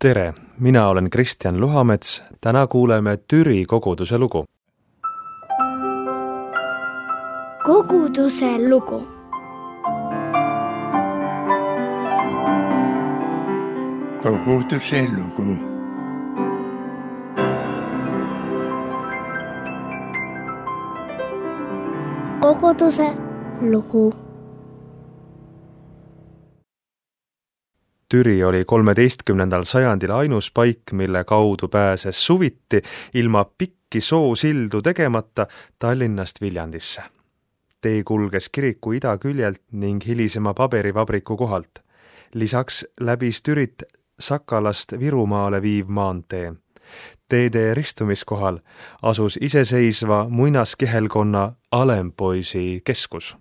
Tere, mina olen Kristjan Luhamets, täna kuuleme Türi koguduse lugu. Koguduse lugu. Koguduse lugu. Koguduse lugu. Türi oli 13. sajandil ainus paik, mille kaudu pääses suviti ilma pikki soosildu tegemata Tallinnast Viljandisse. Tee kulges kiriku idaküljelt ning hilisema paberivabriku kohalt. Lisaks läbis Türit Sakalast Virumaale viiv maantee. Teede ristumiskohal asus iseseisva muinaskihelkonna Alempoisi keskus.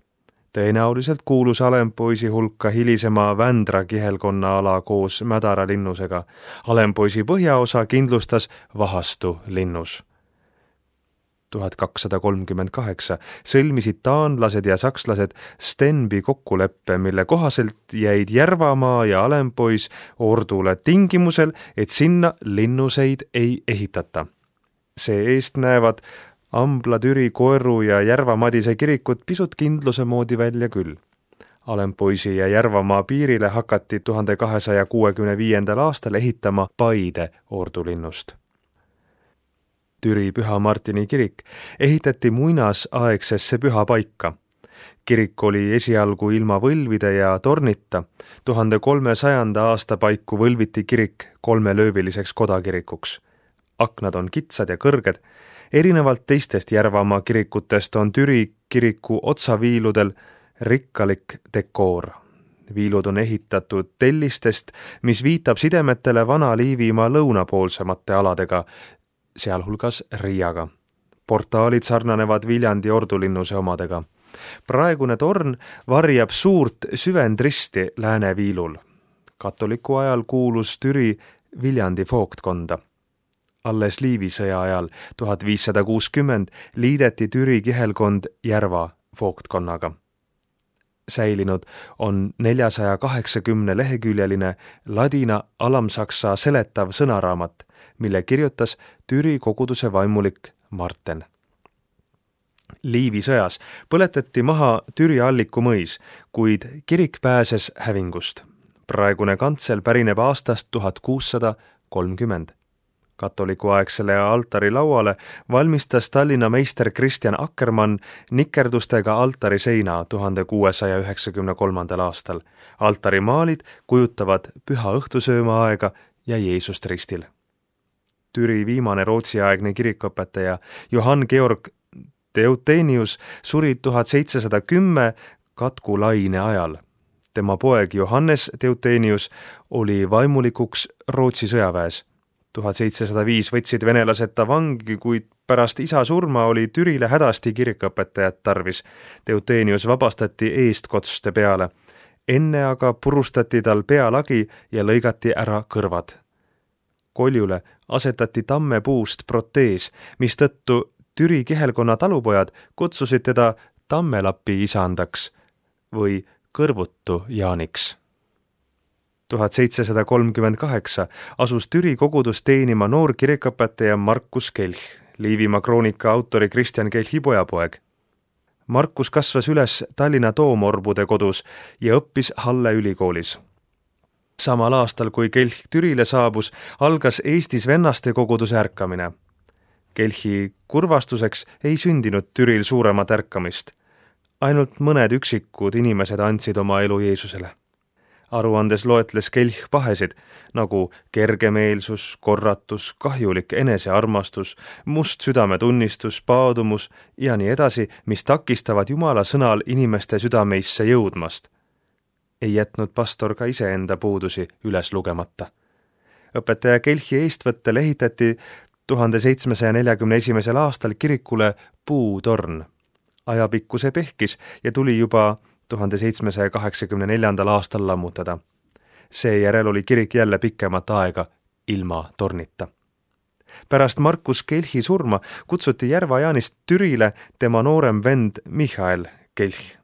Tõenäoliselt kuulus Alempoisi hulka hilisema Vändra kihelkonna ala koos Mädara linnusega. Alempoisi põhjaosa kindlustas Vahastu linnus. 1238 sõlmisid taanlased ja sakslased Stenby kokkuleppe, mille kohaselt jäid Järvamaa ja Alempois ordule tingimusel, et sinna linnuseid ei ehitata. See eest näevad Ambla, Türi, Koeru ja Järva-Madise kirikud pisut kindluse moodi välja küll. Alempoisi ja Järvamaa piirile hakati 1265. aastal ehitama Paide ordulinnust. Türi Püha Martini kirik ehitati muinasaegsesse pühapaika. Kirik oli esialgu ilma võlvide ja tornita. 1300. aasta paiku võlviti kirik 3-lööviliseks kodakirikuks. Aknad on kitsad ja kõrged. Erinevalt teistest Järvamaa kirikutest on Türi kiriku otsaviiludel rikkalik dekoor. Viilud on ehitatud tellistest, mis viitab sidemetele Vana-Liivimaa lõunapoolsemate aladega, sealhulgas Riiaga. Portaalid sarnanevad Viljandi ordulinnuse omadega. Praegune torn varjab suurt süvendristi lääneviilul. Katoliku ajal kuulus Türi Viljandi vooktkonda. Alles Liivisõja ajal 1560 liideti Türi kihelkond Järva vooktkonnaga. Säilinud on 480-leheküljeline ladina alamsaksa seletav sõnaraamat, mille kirjutas Türi koguduse vaimulik Marten. Liivisõjas põletati maha Türi Alliku mõis, kuid kirik pääses hävingust. Praegune kantsel pärineb aastast 1630. Katolikuaegsele altari lauale valmistas Tallinna meister Kristjan Akkermann nikerdustega altari seina 1693. aastal. Altarimaalid kujutavad püha õhtusööma aega ja Jeesust ristil. Türi viimane rootsiaegne kirikuõpetaja Johann Georg Teutenius suri 1710 katkulaine ajal. Tema poeg Johannes Teutenius oli vaimulikuks Rootsi sõjaväes. 1705 võtsid venelased ta vangi, kuid pärast isa surma oli Türile hädasti kirikuõpetajat tarvis. Teutenius vabastati eestkotste peale. Enne aga purustati tal pealagi ja lõigati ära kõrvad. Koljule asetati tammepuust protees, mistõttu Türi kihelkonna talupojad kutsusid teda tammelapi isandaks või kõrvutu Jaaniks. 1738 asus Türi kogudus teenima noor kirikuõpetaja Markus Kelch, Liivimaa kroonika autori Kristjan Kelchi pojapoeg. Markus kasvas üles Tallinna toomorbude kodus ja õppis Halle ülikoolis. Samal aastal, kui Kelch Türile saabus, algas Eestis vennaste koguduse ärkamine. Kelchi kurvastuseks ei sündinud Türil suuremat ärkamist. Ainult mõned üksikud inimesed andsid oma elu Jeesusele. Aruandes loetles Kelch pahesid, nagu kergemeelsus, korratus, kahjulik enesearmastus, must südametunnistus, paadumus ja nii edasi, mis takistavad Jumala sõnal inimeste südameisse jõudmast. Ei jätnud pastor ka iseenda puudusi üles lugemata. Õpetaja Kelchi eestvõttel ehitati 1741. aastal kirikule puutorn. Ajapikku see pehkis ja tuli juba 1784. aastal lammutada. Seejärel oli kirik jälle pikemat aega ilma tornita. Pärast Markus Kelchi surma kutsuti Järva-Jaanist Türile tema noorem vend Michael Kelch.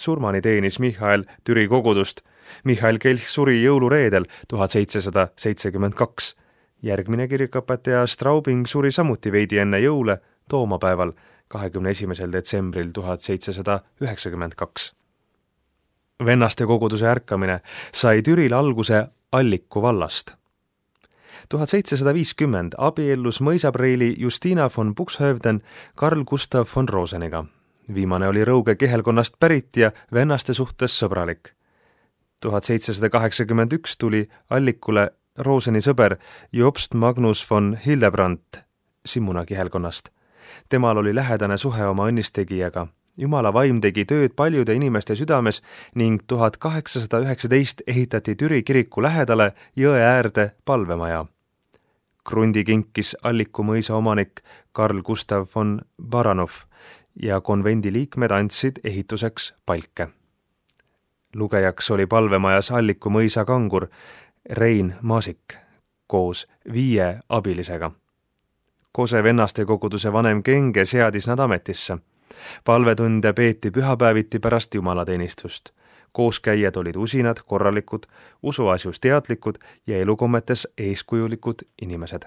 Surmani teenis Michael Türi kogudust. Michael Kelch suri jõulureedel 1772. Järgmine kirikuõpetaja Straubing suri samuti veidi enne jõule toomapäeval 21. detsembril 1792. Vennaste koguduse ärkamine sai Türil alguse Alliku vallast. 1750 abiellus mõisapreili Justina von Buxhoevden Karl Gustav von Roseniga. Viimane oli Rõuge kihelkonnast pärit ja vennaste suhtes sõbralik. 1781 tuli Allikule Roseni sõber Jobst Magnus von Hildebrandt Simmuna kihelkonnast. Temal oli lähedane suhe oma õnnistegijaga. Jumala vaim tegi tööd paljude inimeste südames ning 1819 ehitati Türi kiriku lähedale jõe äärde palvemaja. Krundi kinkis Alliku mõisa omanik Karl Gustav von Baranov ja konvendi liikmed andsid ehituseks palke. Lugejaks oli palvemajas Alliku mõisa kangur Rein Maasik koos 5 abilisega. Kose vennaste koguduse vanem Kenge seadis nad ametisse. Palvetunde peeti pühapäeviti pärast jumalateenistust. Kooskäijad olid usinad, korralikud, usuasjus teadlikud ja elukommetes eeskujulikud inimesed.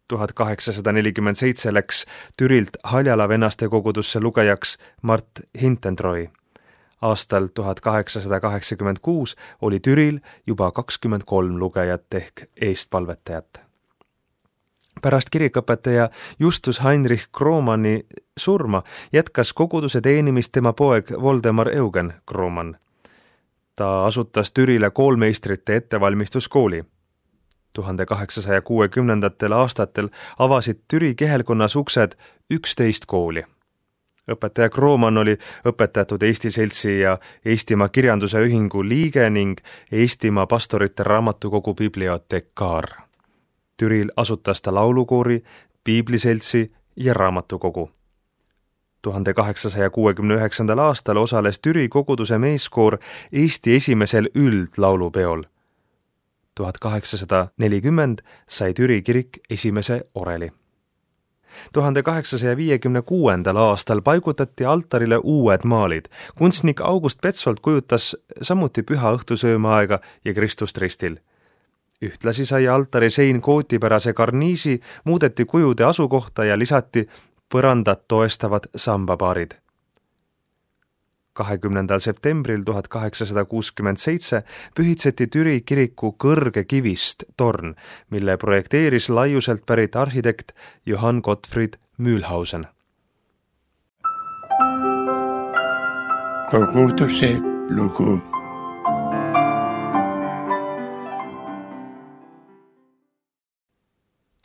1847 läks Türilt Haljala vennaste kogudusse lugejaks Mart Hintentroi. Aastal 1886 oli Türil juba 23 lugejat ehk eestpalvetajat. Pärast kirikuõpetaja Justus Heinrich Kromanni surma jätkas koguduse teenimist tema poeg Voldemar Eugen Kroman. Ta asutas Türile koolmeistrite ettevalmistuskooli. 1860. aastatel avasid Türi kihelkonnas uksed 11 kooli. Õpetaja Kroman oli õpetatud Eesti Seltsi ja Eestimaa Kirjanduse Ühingu liige ning Eestimaa pastorite raamatukogu bibliotekaar. Türil asutas ta laulukoori, piibliseltsi ja raamatukogu. 1869. aastal osales Türi koguduse meeskoor Eesti esimesel üldlaulupeol. 1840 sai Türi kirik esimese oreli. 1856. aastal paigutati altarile uued maalid. Kunstnik August Petzold kujutas samuti püha õhtusöömaaega ja Kristust ristil. Ühtlasi sai altari sein kootipärase karniisi, muudeti kujude asukohta ja lisati põrandat toestavad sambapaarid. 20. septembril 1867 pühitseti Türi kiriku kõrge kivist torn, mille projekteeris laiuselt pärit arhitekt Johann Gottfried Mühlhausen. Koguduse lugu. –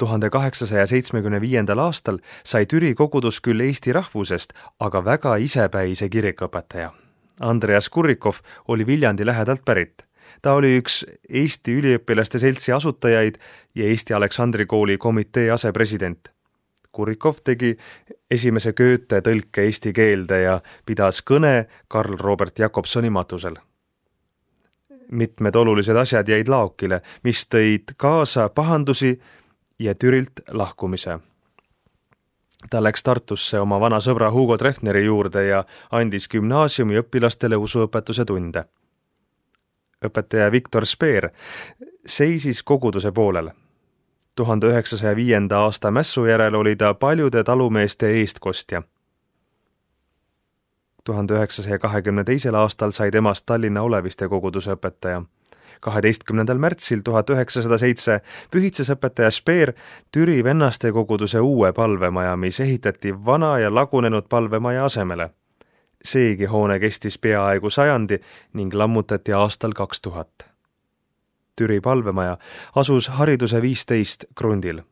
1875. aastal sai Türi kogudus küll eesti rahvusest, aga väga isepäise kirikuõpetaja. Andreas Kurrikov oli Viljandi lähedalt pärit. Ta oli üks Eesti üliõpilaste seltsi asutajaid ja Eesti Aleksandri kooli komitee asepresident. Kurrikov tegi esimese Goethe tõlke eesti keelde ja pidas kõne Karl Robert Jakobsoni matusel. Mitmed olulised asjad jäid laokile, mis tõid kaasa pahandusi ja Türilt lahkumise. Ta läks Tartusse oma vana sõbra Hugo Treffneri juurde ja andis gümnaasiumi õpilastele usuõpetuse tunde. Õpetaja Viktor Speer seisis koguduse poolel. 1905. aasta mässu järel oli ta paljude talumeeste eestkostja. 1922. aastal sai temast Tallinna Oleviste koguduse õpetaja. 12. märtsil 1907 pühitses õpetaja Speer Türi vennaste koguduse uue palvemaja, mis ehitati vana ja lagunenud palvemaja asemele. Seegi hoone kestis peaaegu 100 ning lammutati aastal 2000. Türi palvemaja asus Hariduse 15 krundil.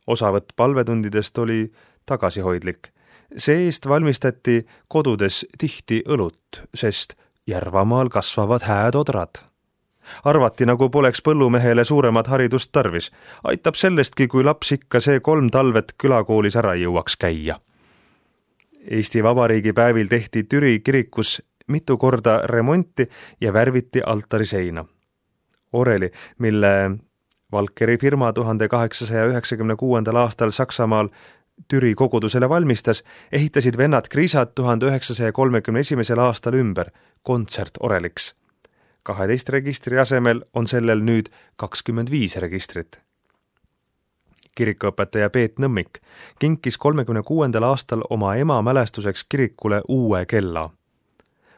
Osavõtt palvetundidest oli tagasihoidlik. See-eest valmistati kodudes tihti õlut, sest Järvamaal kasvavad hääd odrad. Arvati, nagu poleks põllumehele suuremat haridust tarvis. Aitab sellestki, kui laps ikka see 3 talvet külakoolis ära jõuaks käia. Eesti Vabariigi päevil tehti Türi kirikus mitu korda remonti ja värviti altari seina. Oreli, mille Valkeri firma 1896. aastal Saksamaal Türi kogudusele valmistas, ehitasid vennad Kriisad 1931. aastal ümber kontsertoreliks. 12 registri asemel on sellel nüüd 25 registrit. Kirikuõpetaja Peet Nõmmik kinkis 36. aastal oma ema mälestuseks kirikule uue kella.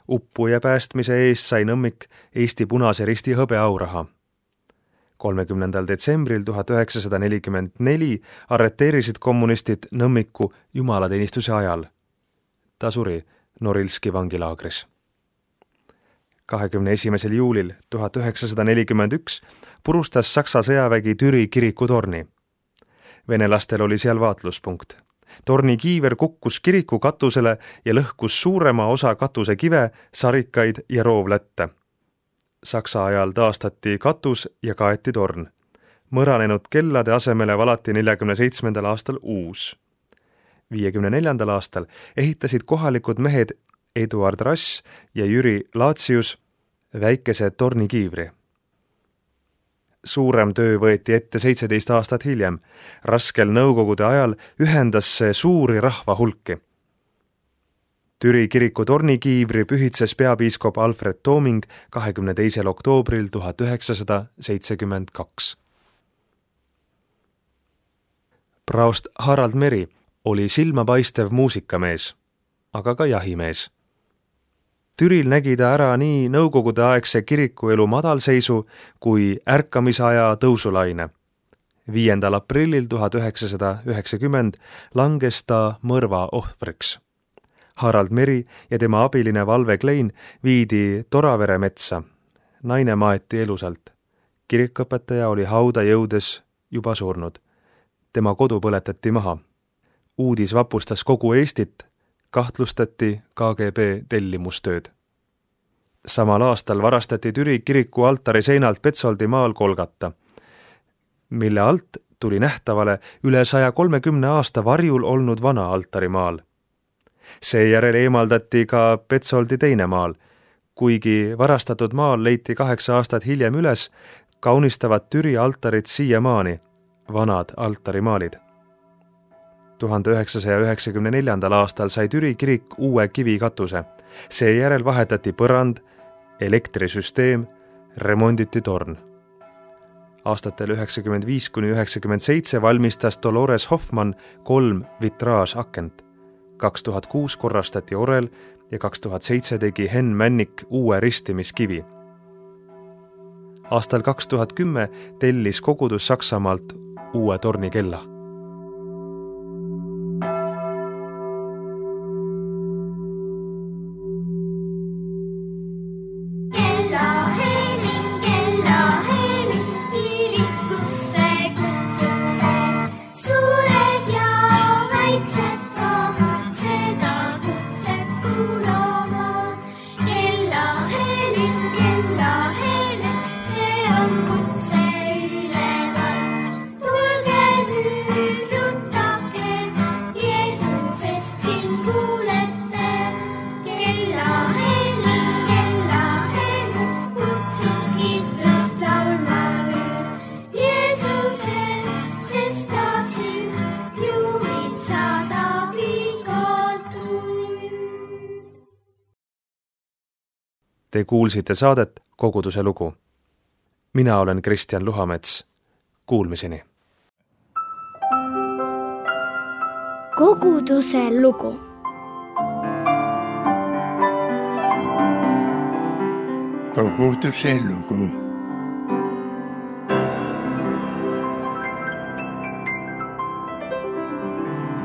Uppuja päästmise eest sai Nõmmik Eesti Punase Risti hõbeauraha. 30. detsembril 1944 arreteerisid kommunistid Nõmmiku jumalateenistuse ajal. Ta suri Norilski vangilaagris. 21. juulil 1941 purustas Saksa sõjavägi Türi kirikutorni. Venelastel oli seal vaatluspunkt. Torni kiiver kukkus kiriku katusele ja lõhkus suurema osa katuse kive, sarikaid ja roovlätte. Saksa ajal taastati katus ja kaeti torn. Mõranenud kellade asemele valati 47. aastal uus. 54. aastal ehitasid kohalikud mehed Eduard Rass ja Jüri Laatsius väikese tornikiivri. Suurem töö võeti ette 17 aastat hiljem. Raskel nõukogude ajal ühendas see suuri rahva hulki. Türi kiriku tornikiivri pühitses peapiiskop Alfred Tooming 22. oktoobril 1972. Praost Harald Meri oli silmapaistev muusikamees, aga ka jahimees. Türil nägi ta ära nii nõukogudeaegse kirikuelu madalseisu kui ärkamisaja tõusulaine. 5. aprillil 1990 langes ta mõrva ohvriks. Harald Meri ja tema abiline Valve Klein viidi Toravere metsa. Naine maeti elusalt. Kirikuõpetaja oli hauda jõudes juba surnud. Tema kodu põletati maha. Uudis vapustas kogu Eestit, kahtlustati KGB tellimustööd. Samal aastal varastati Türi kiriku altari seinalt Petsoldi maal Kolgata, mille alt tuli nähtavale üle 130 aasta varjul olnud vana altarimaal. Seejärel eemaldati ka Petsoldi teine maal. Kuigi varastatud maal leiti 8 aastat hiljem üles, kaunistavad Türi altarid siiamaani, vanad altarimaalid. 1994. aastal sai Türi kirik uue kivikatuse. Seejärel vahetati põrand, elektrisüsteem, remonditi torn. Aastatel 1995–1997 valmistas Dolores Hoffmann 3 vitraasakent. 2006 korrastati orel ja 2007 tegi Henn Männik uue ristimiskivi. Aastal 2010 tellis kogudus Saksamaalt uue tornikella. Te kuulsite saadet Koguduse lugu. Mina olen Kristjan Luhamets. Kuulmiseni. Koguduse lugu. Koguduse lugu.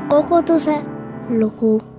Koguduse lugu.